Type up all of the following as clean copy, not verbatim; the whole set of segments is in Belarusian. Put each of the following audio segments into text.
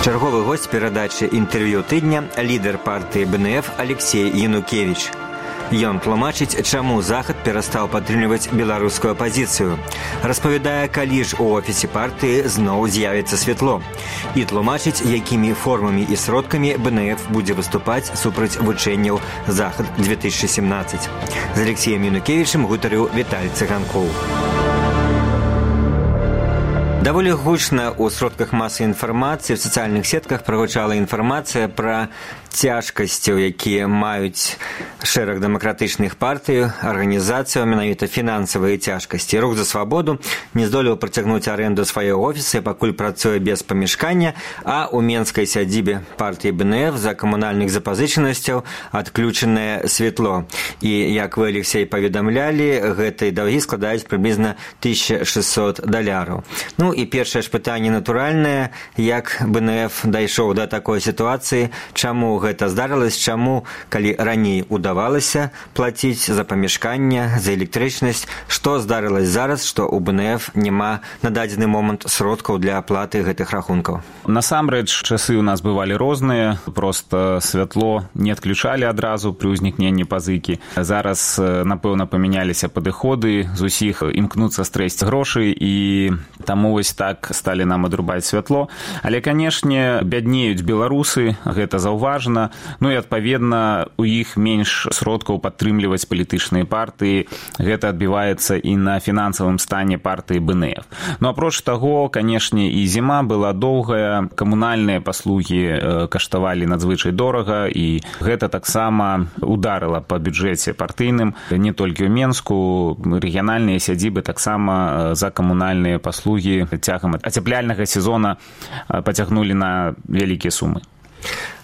Чарговы госць перадачы інтэрв'ю тыдня лідар партыі БНФ Алексей Янукевич. Ён тлумачыць, чаму Захад перастаў падтрымліваць беларускую апазіцыю. Распавядае, калі ж у офісе партыі зноў з'явіцца святло. І тлумачыць, якімі формамі і сродкамі БНФ будзе выступаць супраць вучэнняў Захад-2017. З Алексеем Янукевічем гутарыў Віталій Цыганкоў. Даволі гучна ў сродках масавай інфармацыі, в сацыяльных сетках прагучала інфармацыя пра цяжкасці, якія маюць шэраг дэмакратычных партый, арганізацыяў, менавіта фінансавыя цяжкасці. Рух за свабоду не здолеў працягнуць арэнду свайго офіса, пакуль працуе без памяшкання, а ў менскай сядзібе партыі БНФ за камунальных запазычанасцяў адключанае святло. І, як вы, Алексей, паведамлялі, гэтыя даўгі складаюць прыблізна $1600. Ну і першае ж пытанне натуральнае, як БНФ дайшоў да такой сітуацыі, чаму гэта здарылася, чаму, калі раней удавалася плаціць за памяшканне, за электрычнасць, што здарылася зараз, што ў БНФ няма на дадзены момант сродкаў для аплаты гэтых рахункаў? Насамрэч, часы у нас бывалі розныя, проста святло не адключалі адразу пры ўзнікненні пазыкі. Зараз, напэўна, памяняліся падыходы, з усіх імкнуцца стрэсці грошы, і таму вось так сталі нам адрубаць святло. Але, канешне, бяднеюць беларусы, гэта заўважна. Ну і, адпаведна, у іх менш сродкаў падтрымліваць палітычныя партыі. Гэта адбіваецца і на фінансавым стане партыі БНФ. Ну, апроч таго, канешне, і зіма была доўгая, камунальныя паслугі каштавалі надзвычай дорага, і гэта таксама ударыла па бюджэце партыйным. Не толькі ў Менску, рэгіянальныя сядзібы таксама за камунальныя паслугі цягам ацяпляльнага сезона пацягнулі на вялікія сумы.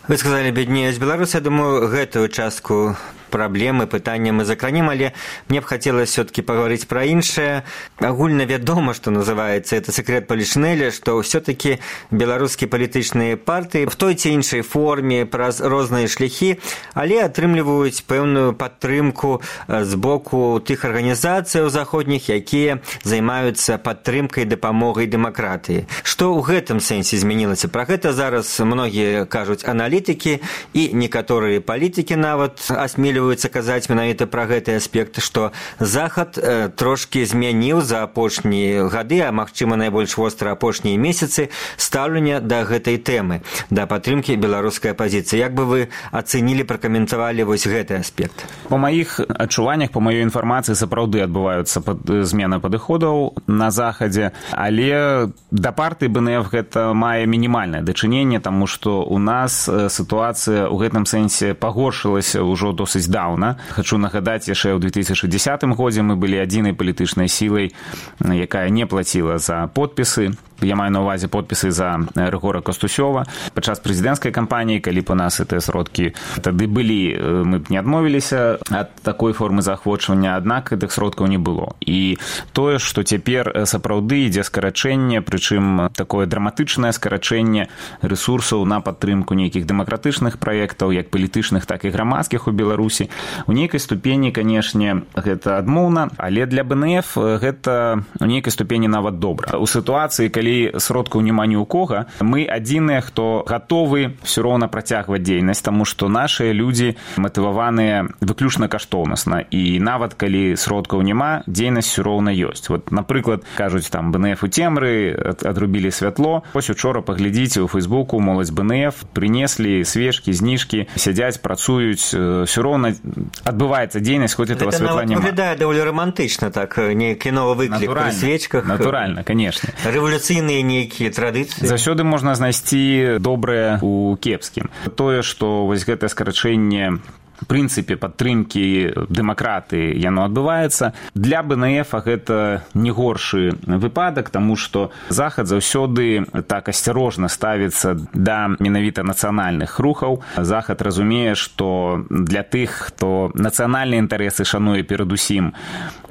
Вы сказалі, беднеюць беларусы. Я думаю, гэтую частку праблемы, пытання мы закранем, але мне б хацелася все-таки паговорыць пра іншае. Агульна вядома, што называецца, это секрет палішнэля, што все-таки беларускія палітычныя партыі в той ці іншай форме, праз розныя шляхі, але атрымліваюць пэўную падтрымку з боку тых арганізацыяў заходніх, якія займаюцца падтрымкай, дапамогай дэмакратыі. Што ў гэтым сэнсе змянілася? Пра гэта зараз многія кажуць аналітыкі, і некаторыя палітыкі нават асмеліваюцца казаць менавіта пра гэты аспект, што Захад трошкі змяніў за апошнія гады, а магчыма найбольш востра апошнія месяцы, стаўленне да гэтай тэмы, да падтрымкі беларускай апазіцыі. Як бы вы ацэнілі, пракаментавалі вось гэты аспект? Па маіх адчуваннях, па маёй інфармацыі, сапраўды адбываюцца змена падыходаў на Захадзе, але да партыі БНФ гэта мае мінімальнае дачыненне, таму што у нас сітуацыя ў гэтым сэнсе пагоршылася ўжо досыць даўна. Хачу нагадаць, яшчэ ў 2010 годзе мы былі адзінай палітычнай сілай, якая не плаціла за подпісы. Я маю на ўвазе подпісы за Рыгора Костусёва. Падчас прэзідэнцкай кампаніі, калі б у нас гэтыя сродкі тады былі, мы б не адмовіліся ад такой формы заахвочвання, аднак гэтых сродкаў не было. І тое, што цяпер сапраўды ідзе скарачэнне, прычым такое драматычнае скарачэнне рэсурсаў на падтрымку нейкіх дэмакратычных праектаў, як палітычных, так і грамадскіх у Беларусі. У нейкай ступені, канешне, гэта адмоўна, але для БНФ гэта у нейкай ступені нават добра. У сітуацыі, калі сродкаў няма ні ў кога, мы адзіныя, хто гатовы ўсё роўна працягваць дзейнасць, таму што нашыя людзі матываваныя выключна каштоўнасна, і нават калі сродкаў няма, дзейнасць ўсё роўна ёсць. Вот, напрыклад, кажуць, там БНФ у цемры, адрубілі святло. Вось учора паглядзіце ў Фейсбуку, моладзь БНФ прынеслі свечкі, зніжкі, сядзяць, працуюць, ўсё роўна адбываецца дзейнасць, хоць этого святла няма. Гэта выглядае даволі романтычна, так, нейкі новы выклік пры свечках. Натуральна, канешне. Рэвалюцыйныя нейкія традыцыі. Заўсёды можна знайсці добрае ў кепскім. Тое, што вось гэтае скарачэнне прынцыпе падтрымкі дэмакратыі яно адбываецца. Для БНФ гэта не горшы выпадак, таму што Захад заўсёды так асцярожна ставіцца да менавіта нацыянальных рухаў. Захад разумее, што для тых, хто нацыянальныя інтарэсы шануе перадусім,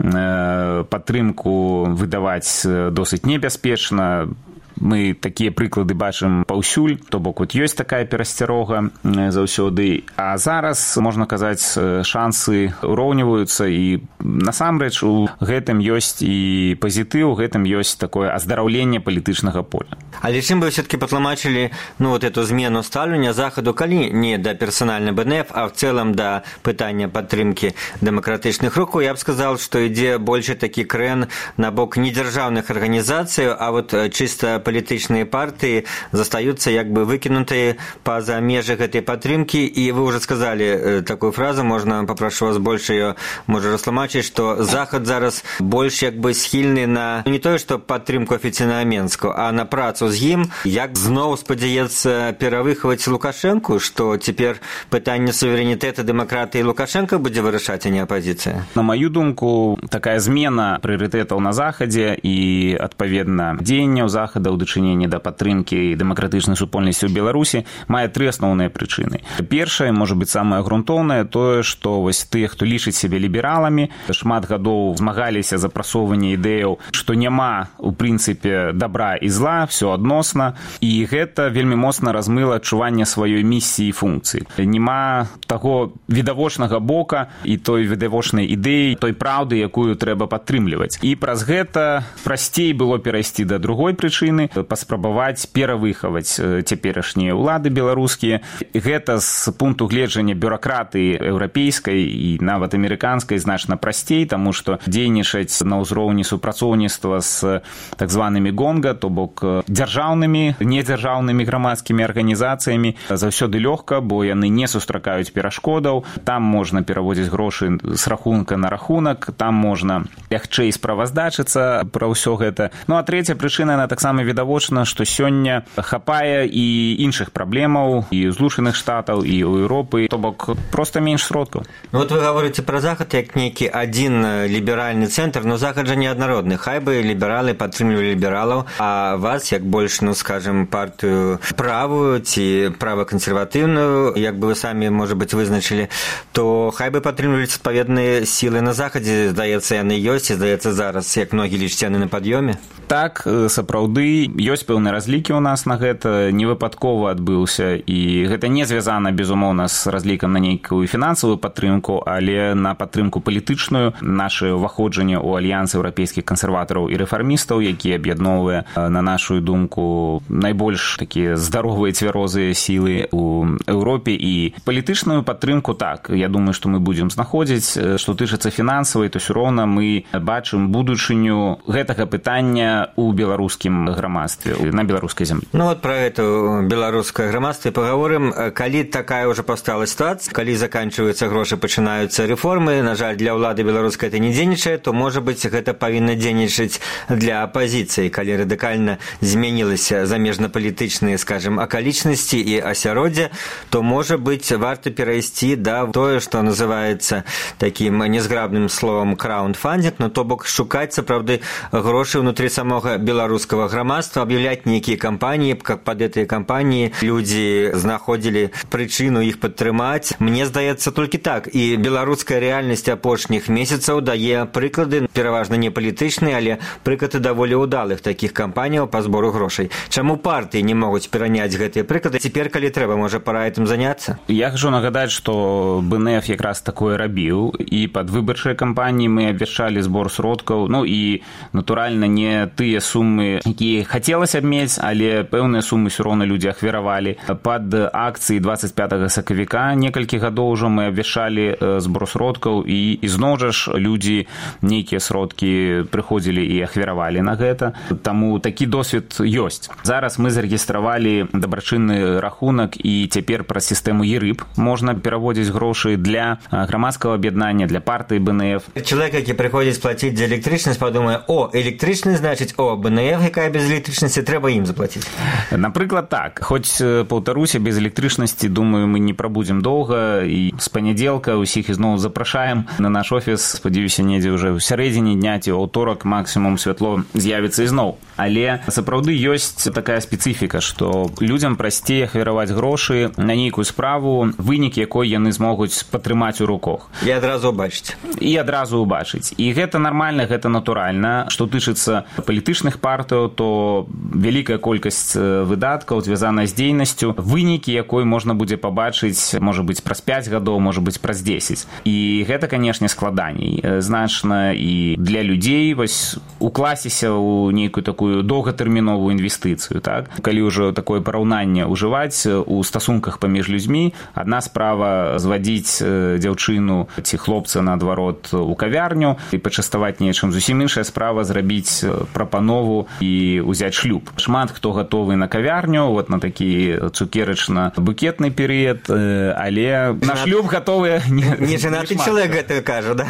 падтрымку выдаваць досыць небяспечна. мы такія прыклады бачым паўсюль, то бок вот ёсць такая перасцярога заўсёды, а зараз, можна казаць, шансы ўроўніваюцца, і насамрэч у гэтым ёсць і пазітыў, у гэтым ёсць такое аздараўленне палітычнага поля. Але чым бы все-таки патлумачылі вот эту змену стаўлення Захаду, калі не да персанальна БНФ, а в цэлым да пытання падтрымкі дэмакратычных рухаў, я б сказал, што ідзе больше такі крэн на бок недзяржаўных арганізацый, а вот чыста палітычныя партыі застаюцца як бы выкінутыя па-за межы гэтай падтрымкі. І вы уже сказали такую фразу, можна, папрошу вас больше ее, можа, растлумачыць, што Захад зараз больш як бы схільны на не тое, што падтрымку афіцыйнага Менску, а на працу з ім, як зноў спадзяецца перавыхаваць Лукашэнку, што цяпер пытанне суверэнітэта, дэмакратыі Лукашенко будзе вырашаць, а не апазіцыя? На маю думку, такая змена прыярытэтаў на Захадзе і, адпаведна, дзеянняў Захада ў дачыненні да падтрымкі дэмакратычнай супольнасці ў Беларусі мае тры асноўныя прычыны. Першае, можа быць, самае грунтоўнае, тое, што вось тыя, хто лічыць сябе лібераламі, шмат гадоў змагаліся за прасоўванне ідэяў, што няма, у прынцыпе, добра і зла, все адносна, і гэта вельмі моцна размыла адчуванне сваёй місіі і функцыі. Нема таго відавочнага бока і той відавочнай ідэі, той праўды, якую трэба падтрымліваць. І праз гэта прасцей было перайсці да другой прычыны, паспрабаваць перавыхаваць цяперашнія ўлады беларускія. Гэта з пункту гледжання бюракратыі еўрапейскай і нават амерыканскай значна прасцей, таму што дзейнічаць на ўзроўні супрацоўніцтва з так званымі гонга, то бок дзяржаўнымі, недзяржаўнымі грамадскімі арганізацыямі заўсёды лёгка, бо яны не сустракаюць перашкодаў, там можна пераводзіць грошы з рахунка на рахунак, там можна лягчэй справаздачыцца пра ўсё гэта. Ну а трэця прычына, яна таксама відавочна, што сёння хапае і іншых праблемаў і ў Злучаных Штатаў, і ў Еўропы, то бок проста менш сродкаў. Ну вот вы гаворыце пра Захад як нейкі адзін ліберальны цэнтр, но Захад жа неаднародны. Хай бы лібералы падтрымлівалі лібералаў, а вас, як больш, ну скажем, партыю правую ці правакансерватыўную, як бы вы самі, можа быць, вызначылі, то хай бы падтрымлівалі адпаведныя сілы на Захадзе. Здаецца, яны ёсць, і здаецца, зараз, як многі лічаць, яны на пад'ёме. Так, сапраўды, ёсць пэўныя разлікі ў нас на гэта, невыпадкова адбыўся, і гэта не звязана, безумоўна, з разлікам на нейкую фінансавую падтрымку, але на падтрымку палітычную. Наша ўваходжанне ў альянс еўрапейскіх кансерватараў і рэфармістаў, які аб'ядноўвае, на нашу думку, найбольш такія здаровыя цвярозыя сілы ў Еўропе. І палітычную падтрымку, так, я думаю, што мы будзем знаходзіць. Што тычыцца фінансавай, то ўсё роўна мы бачым будучыню гэтага пытання у беларускім грамадстве, на беларускай зямлі. Ну вот про это беларускае грамадства паговорым. Калі такая ўжо паўстала сітуацыя, калі заканчваюцца грошы, пачынаюцца рэформы, на жаль, для ўлады беларускай это не дзейнічае, то, можа быць, гэта павінна дзейнічаць для апазіцыі. Калі радыкальна змянілася замежнапалітычныя, скажем, акалічнасці і асяроддзе, то, можа быць, варта перайсці да тое, што называецца такім незграбным словам краундфандинг, но то бок шукаць, сапраўды, грошы ўнутры самога беларускага грамадства, аб'яўляць нейкія кампаніі, каб пад гэтыя кампаніі людзі знаходзілі прычыну іх падтрымаць. Мне здаецца, толькі так. І беларуская рэальнасць апошніх месяцаў дае прыклады, пераважна не палітычныя, але прыклады даволі ўдалых такіх кампаніяў па збору грошай. Чаму партыі не могуць пераняць гэтыя прыклады? Цяпер, калі трэба, можа, пара гэтым заняцца? Я хачу нагадаць, што БНФ якраз такое рабіў, і пад выбарчыя кампаніі мы абвяшчалі збор сродкаў, ну і, натуральна, не тыя сумы, якія хацелася б мець, але пэўныя сумы ўсё роўна людзі ахвяравалі. Пад акцыі 25 сакавіка некалькі гадоў ужо мы абвяшчалі збор сродкаў, і зноў жа ж людзі нейкія сродкі прыходзілі і ахвяравалі на гэта. Таму такі досвед ёсць. Зараз мы зарэгістравалі дабрачынны рахунак, і цяпер праз сістэму ЕРЫП можна пераводзіць грошы для грамадскага аб'яднання, для партыі БНФ. Чалавек, які прыходзіць плаціць за электрычнасць, падумае: о, электрычнасць, значыць, о, БНФ, якая без электрычнасці, трэба ім заплаціць. Напрыклад, так. Хоць, паўтаруся, без электрычнасці, думаю, мы не прабудзем доўга, і з панядзелка ўсіх ізноў запрашаем на наш офіс. Спадзяюся, недзе ўжо ў сярэдзіне дня ці аўторак максімум святло з'явіцца ізноў. Але сапраўды ёсць такая спецыфіка, што людзям прасцей ахвяраваць грошы на нейкую справу, вынік якой яны змогуць падтрымаць у руках. І адразу ўбачыць. І адразу ўбачыць. І гэта нармальна, гэта натуральна. Што тычыцца палітычных партыяў, то што вялікая колькасць выдаткаў звязаная з дзейнасцю, вынікі якой можна будзе пабачыць, можа быць, праз 5 гадоў, можа быць, праз 10. І гэта, канешне, складаней значна і для людзей вось укласціся ў нейкую такую доўгатэрміновую інвестыцыю, так? Калі ўжо такое параўнанне ўжываць у стасунках паміж людзьмі, адна справа звадзіць дзяўчыну ці хлопца наадварот у кавярню і пачаставаць нечым, зусім іншая справа зрабіць прапанову і ўзяць шлюб. Шмат хто гатовы на кавярню, вот на такі цукерачна-букетны перыяд, але на шлюб гатовыя не жанаты чалавек гэта кажа, да?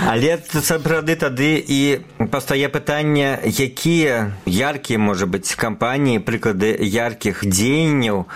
Але сапраўды тады і пастае пытанне, якія яркія, можа быць, кампаніі, прыклады яркіх дзеянняў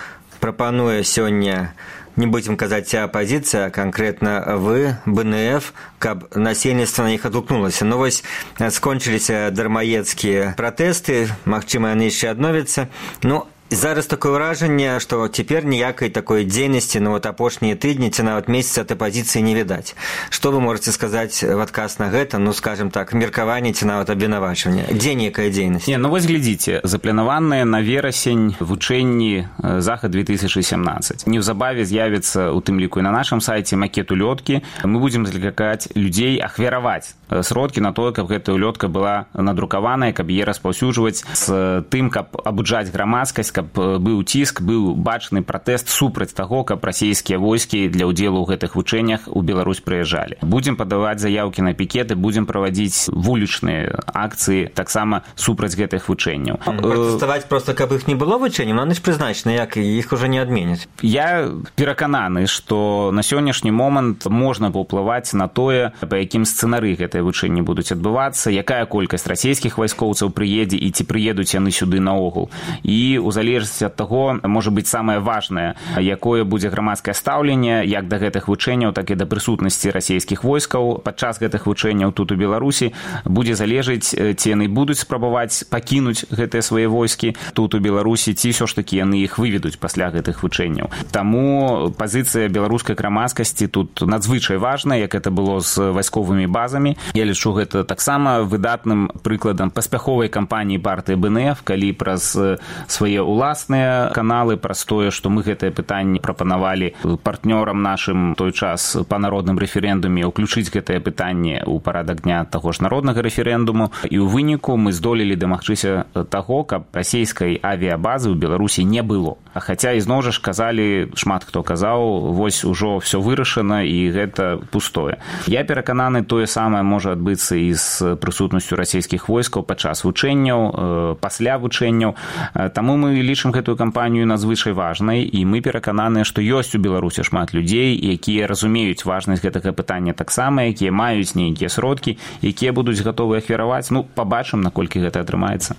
прапануе сёння, не будем казаць апозіцыя, а канкрэтна вы, БНФ, каб насельніцтва на іх адгукнулася. Ну вось скончыліся дармаедскія пратэсты, магчыма, яны яшчэ адновяцца. Ну, зараз такое ўражанне, што цяпер ніякай такой дзейнасці на вот апошнія тыдні ці нават месяцы ад апазіцыі не відаць. Што вы можаце сказаць в адказ на гэта, ну, скажем так, меркаванне ці нават абвінавачванне? Дзе нейкая дзейнасць? Не, ну вось глядзіце, запланаваныя на верасень вучэнні Захад 2017. Неўзабаве з'явіцца, у тым ліку і на нашым сайце, макет улёткі. Мы будзем заклікаць людзей ахвяраваць сродкі на тое, каб гэтая улётка была надрукаваная, каб яе распаўсюджваць з тым, каб абуджаць грамадскасць, каб быў ціск, быў бачны пратэст супраць таго, каб расійскія войскі для ўдзелу ў гэтых вучэннях у Беларусь прыязджалі. Будзем падаваць заяўкі на пікеты, будзем правадзіць вулічныя акцыі таксама супраць гэтых вучэнняў. Пратэставаць проста, каб іх не было вучэнняў, но яны ж прызначаны, як іх ужо не адменяць. Я перакананы, што на сённяшні момант можна паўплываць на тое, па якім сцэнары гэтыя вучэнні будуць адбывацца, якая колькасць расійскіх вайскоўцаў прыедзе і ці прыедуць яны сюды наогул. І у залежнасці ад таго, можа быць, самае важнае, якое будзе грамадскае стаўленне як да гэтых вучэнняў, так і да прысутнасці расійскіх войскаў падчас гэтых вучэнняў тут у Беларусі, будзе залежыць, ці яны будуць спрабаваць пакінуць гэтыя свае войскі тут у Беларусі, ці ўсё ж такі яны іх выведуць пасля гэтых вучэнняў. Таму пазіцыя беларускай грамадскасці тут надзвычай важная, як это было з вайсковымі базамі. Я лічу гэта таксама выдатным прыкладам паспяховай кампаніі партыі БНФ, калі праз свае уласныя каналы, праз тое, што мы гэтае пытанне прапанавалі партнёрам нашым той час па народным рэферэндуме ўключыць гэтае пытанне ў парадак дня таго ж народнага рэферэндуму, і ў выніку мы здолелі дамагчыся таго, каб расійскай авіябазы ў Беларусі не было. А хаця ізноў жа ж казалі, шмат хто казаў, вось ужо ўсё вырашана і гэта пустое. Я перакананы, тое самае можа адбыцца і з прысутнасцю расійскіх войскаў падчас вучэнняў, пасля вучэнняў. Таму мы лічым гэтую кампанію надзвычай важнай, і мы перакананыя, што ёсць у Беларусі шмат людзей, якія разумеюць важнасць гэтага пытання таксама, якія маюць нейкія сродкі, якія будуць гатовы ахвяраваць. Ну, пабачым, наколькі гэта атрымаецца.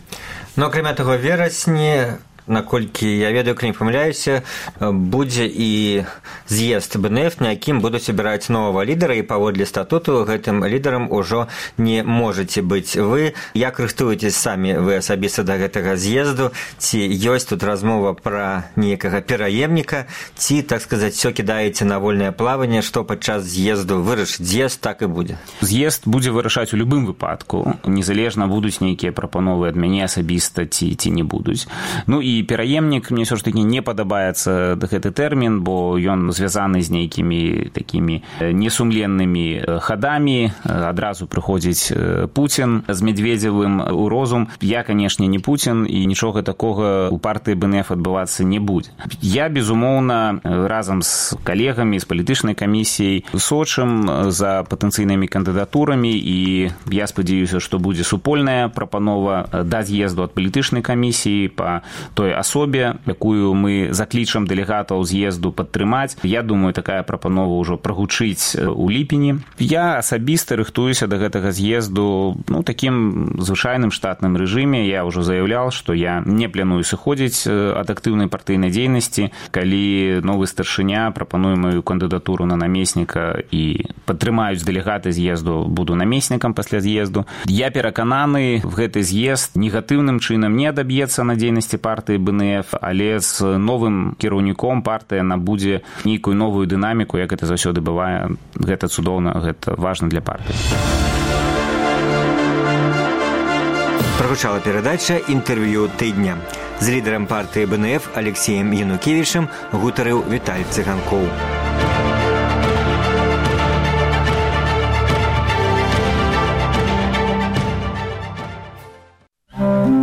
Ну, акрамя таго, верасні, наколькі я ведаю, калі не памыляюся, будзе і з'езд БНФ, на якім будуць абіраць новага лідара, і паводле статуту гэтым лідарам ужо не можаце быць вы. Як рыхтуецесь самі вы асабіста да гэтага з'езду? Ці ёсць тут размова пра нейкага пераемніка, ці, так сказаць, все кідаеце на вольнае плаванне, што падчас з'езду вырашыць з'езд, так і будзе? З'езд будзе вырашаць у любым выпадку, незалежна будуць нейкія прапановы ад мяне асабіста ці не будуць. Ну і пераемнік, мне ўсё ж такі не падабаецца гэты тэрмін, бо ён звязаны з нейкімі такімі несумленнымі хадамі. Адразу прыходзіць Пуцін з Медведзевым у розум. Я, канешне, не Пуцін, і нічога такога у партыі БНФ адбывацца не будзе. Я, безумоўна, разам з калегамі, з палітычнай камісіяй сочым за патэнцыйнымі кандыдатурамі, і я спадзяюся, што будзе супольная прапанова да з'езду ад палітычнай камісіі па той асобе, якую мы заклічам дэлегатаў з'езду падтрымаць. Я думаю, такая прапанова ўжо прагучыць у ліпені. Я асабіста рыхтуюся да гэтага з'езду такім звычайным штатным рэжыме. Я ўжо заяўляў, што я не планую сыходзіць ад актыўнай партыйнай дзейнасці. Калі новы старшыня прапануе маю кандыдатуру на намесніка і падтрымаюць дэлегаты з'езду, буду намеснікам пасля з'езду. Я перакананы, гэты з'езд негатыўным чынам не адаб'ецца на дзейнасці партыі БНФ, але з новым кіраўніком партыя набудзе нейкую новую дынаміку, як гэта заўсёды бывае. Гэта цудоўна, гэта важна для партыі. Прагучала перадача «Інтэрв'ю тыдня». З лідарам партыі БНФ Алексеем Янукевічам гутарыў Віталь Цыганкоў.